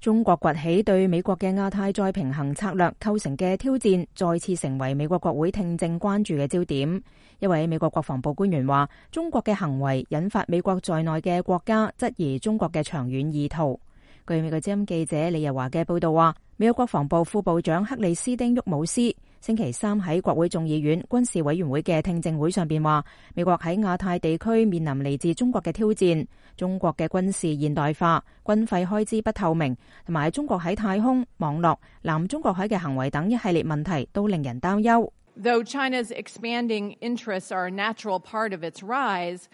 中國崛起對美國嘅亞太再平衡策略構成嘅挑戰，再次成為美國國會聽證關注嘅焦點。一位美國國防部官員話，中國嘅行為引發美國在內嘅國家質疑中國嘅長遠意圖。據美國之音記者李日華嘅報道話，美國國防部副部長克里斯汀·沃姆斯星期三喺國會眾議院軍事委員會嘅聽證會上邊話，美國喺亞太地區面臨嚟自中國嘅挑戰，中國嘅軍事現代化、軍費開支不透明，同埋中國喺太空、網絡、南中國海嘅行為等一系列問題都令人擔憂。Though China's expanding interests are a natural part of its rise,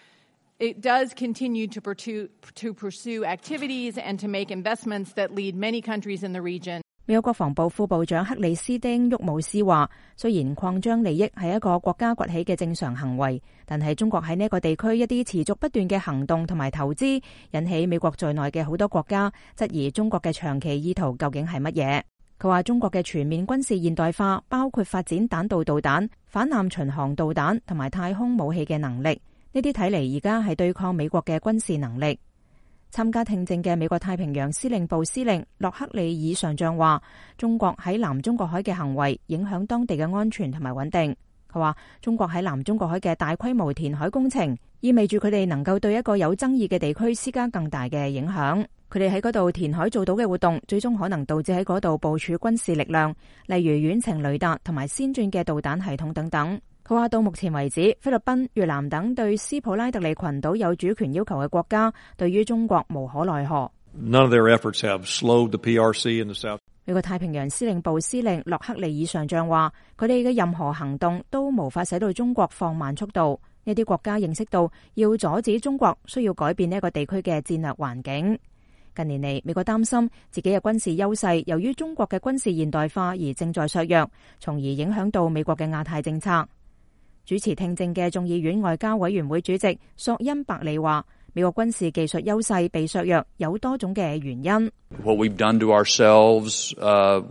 it does continue to pursue activities and to make investments that lead many countries in the region. 美國國防部副部長克里斯汀·沃姆斯話，雖然擴張利益係一個國家崛起嘅正常行為，但係中國喺呢個地區一啲持續不斷嘅行動同埋投資，引起美國在內嘅好多國家質疑中國嘅長期意圖究竟係乜嘢。佢話中國嘅全面軍事現代化包括發展彈道導彈、反艦巡航導彈同埋太空武器嘅能力，呢啲睇嚟而家係對抗美國嘅軍事能力。參加聽證嘅美國太平洋司令部司令洛克利爾上將話，中國喺南中國海嘅行為影響當地嘅安全同埋穩定。佢話中國喺南中國海嘅大規模填海工程，意味住佢哋能夠對一個有爭議嘅地區施加更大嘅影響。佢哋喺嗰度填海做到嘅活動，最終可能導致喺嗰度部署軍事力量，例如遠程雷達同埋先進嘅導彈系統等等。佢話到目前為止，菲律賓、越南等對斯普拉特利群島有主權要求嘅國家，對於中國無可奈何。None of their efforts have slowed the PRC in the South. 美國太平洋司令部司令洛克利爾上將話，佢哋嘅任何行動都無法使到中國放慢速度。呢啲國家認識到要阻止中國，需要改變呢一個地區嘅戰略環境。近年嚟，美國擔心自己嘅軍事優勢由於中國嘅軍事現代化而正在削弱，從而影響到美國嘅亞太政策。主持聽證嘅眾議院外交委員會主席索恩伯利話，美國軍事技術優勢被削弱有多種嘅原因。What we've done to ourselves,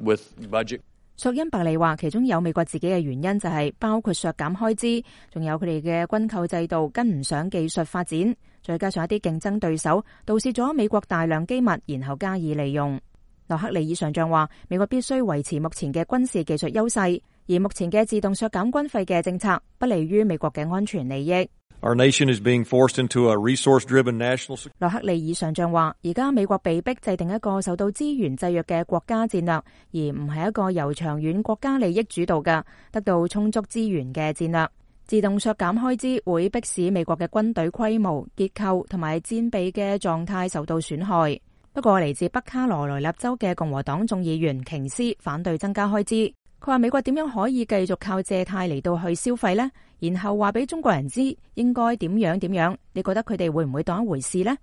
with budget. 索恩伯利話，其中有美國自己嘅原因就係包括削減開支，仲有佢哋嘅軍購制度跟唔上技術發展，再加上一啲競爭對手盜竊咗美國大量機密，然後加以利用。洛克利爾上將話，美國必須維持目前嘅軍事技術優勢，而目前嘅自動削減軍費嘅政策不利於美國嘅安全利益。Our nation is being forced into a resource-driven national. 洛克利爾上將話，而家美國被迫制定一個受到資源制約嘅國家戰略，而唔係一個由長遠國家利益主導嘅得到充足資源嘅戰略。自動削減開支會迫使美國嘅軍隊規模、結構同埋戰備嘅狀態受到損害。不過，嚟自北卡羅來納州嘅共和黨眾議員瓊斯反對增加開支。佢話美國點樣可以繼續靠借貸嚟到去消費呢？然後話俾中國人知應該點樣點樣？你覺得佢哋會唔會當一回事呢？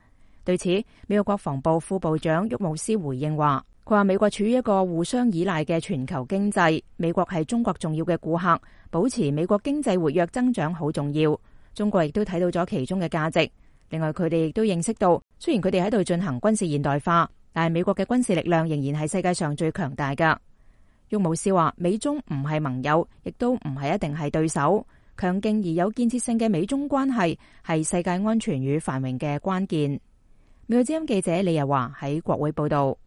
對此，美國國防部副部長沃姆斯回應話，佢話美國處於一個互相依賴嘅全球經濟，美國係中國重要嘅顧客，保持美國經濟活躍增長好重要。中國亦都睇到咗其中嘅價值。另外，佢哋亦都認識到，雖然佢哋喺度進行軍事現代化，但係美國嘅軍事力量仍然係世界上最強大㗎。沃姆斯話，美中唔係盟友，亦都唔係一定係對手。強勁而有建設性嘅美中關係係世界安全與繁榮嘅關鍵。美國之音記者李日華喺國會報道。